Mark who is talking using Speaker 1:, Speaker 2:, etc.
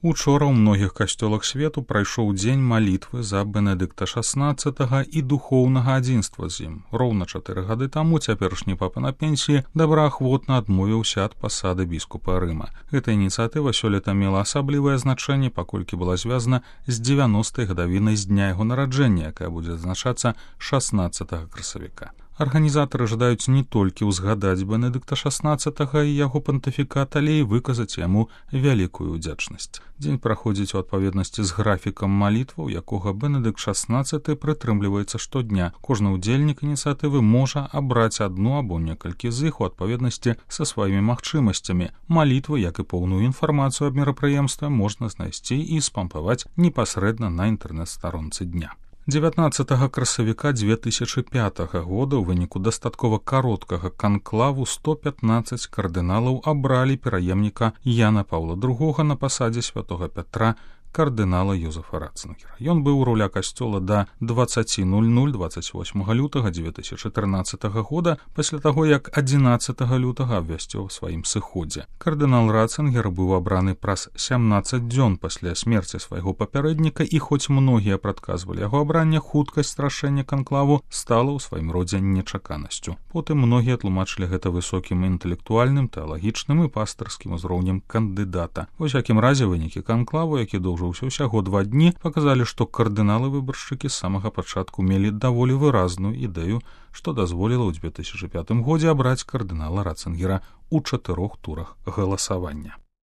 Speaker 1: Учора ў многіх касцёлах свету прайшоў дзень малітвы за Бенедыкта XVI і духоўнага адзінства з ім. Роўна 4 гады таму цяперашні папа на пенсіі добраахвотна адмовіўся ад пасады біскупа Рыма. Гэта ініцыятыва сёлета мела асаблівае значэнне, паколькі была звязана з 90-й гадавінай з дня яго нараджэння, якая будзе адзначацца 16 красавіка. Арганізатары жадаюць не толькі ўзгадаць Бенедыкта XVI і яго пантыфікат, але і выказаць яму вялікую ўдзячнасць. Дзень праходзіць у адпаведнасці з графікам малітваў, якога Бенедыкт XVI прытрымліваецца штодня. Кожны ўдзельнік ініцыятывы можа абраць адну або некалькі з іх у адпаведнасці са сваімі магчымасцямі. Малітвы, як і поўную інфармацыю аб мерапрыемстве, можна знайсці і спампаваць непасрэдна на інтэрнэт-старонцы дня. 19 красавіка 2005 года ў выніку дастаткова кароткага канклаву 115 кардыналаў абралі пераемніка Яна Паўла II на пасадзе святога Пятра, кардынала Йозефа Ратцингера. Ён быў у руля касцёла да 20:00 28 лютага 2014 года, пасля таго, як 11 лютага абвясціў сваім сыходзе. Кардынал Ратцингер быў абраны праз 17 дзён пасля смерці свайго папярэдніка, і хоць многія прадказвалі яго абранне, хуткасць рашэння канклаву стала ў сваім родзе нечаканасцю. Потым многія тлумачылі гэта высокім інтэлектуальным, тэалагічным і пастырскім узроўнем кандыдата. Ва ўсякім разе вынікі канклаву, які доўжыўся ўсяго 2 дні, паказалі, што кардыналы-выбаршчыкі з самага пачатку мелі даволі выразную ідэю, што дазволіла ў 2005 годзе абраць кардынала Ратцингера ў 4 турах галасавання.